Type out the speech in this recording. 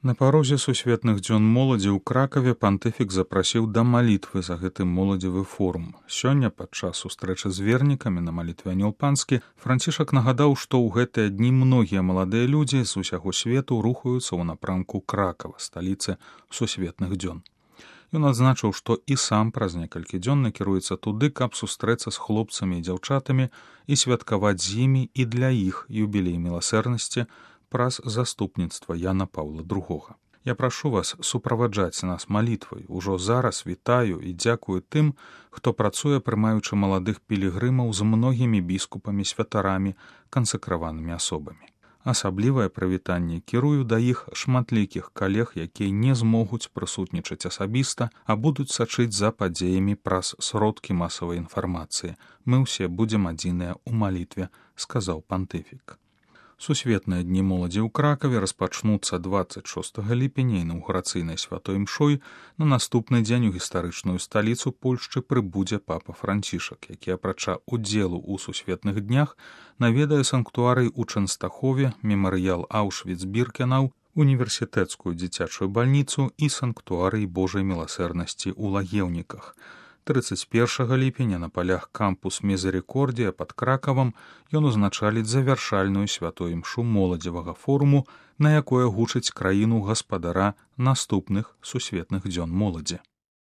На парозе сусветных дзён моладзі ў Кракаве пантыфік запрасіў да малітвы за гэты моладзевы форум. Сёння падчас сустрэчы з вернікамі на малітве Анёл Панскі Францішак нагадаў, што ў гэтыя дні многія маладыя людзі з усяго свету рухаюцца ў напрамку Кракава, сталіцы сусветных дзён. Ён адзначыў, што і сам праз некалькі дзён накіруецца туды, каб сустрэцца з хлопцамі і дзяўчатамі і святкаваць з імі і для іх юбілей міласэрнасці праз заступніцтва Яна Паўла II. Я прашу вас суправаджаць нас малітвай. Ужо зараз вітаю і дзякую тым, хто працуе, прымаючы маладых пілігрымаў з многімі біскупамі, святарамі, кансакраванымі асобамі. Асаблівае прывітанне кірую да іх шматлікіх калег, якія не змогуць прысутнічаць асабіста, а будуць сачыць за падзеямі праз сродкі масавай інфармацыі. Мы ўсе будзем адзіныя ў малітве, сказаў пантыфік. Сусветныя дні моладзі ў Кракаве распачнуцца 26 ліпеня інаўгурацыйнай святой імшой. На наступны дзень у гістарычную сталіцу Польшчы прыбудзе папа Францішак, які апрача удзелу ў сусветных днях наведае санктуарый у Чэнстахове, мемарыял Аўшвіц-Біркенау, універсітэцкую дзіцячую бальніцу і санктуарый Божай міласэрнасці ў Лагеўніках. 31 ліпеня на палях кампус Мізерікордія пад Кракавам ён узначаліць завяршальную святой імшу моладзевага форуму, на якое гучыць краіну гаспадара наступных сусветных дзён моладзі.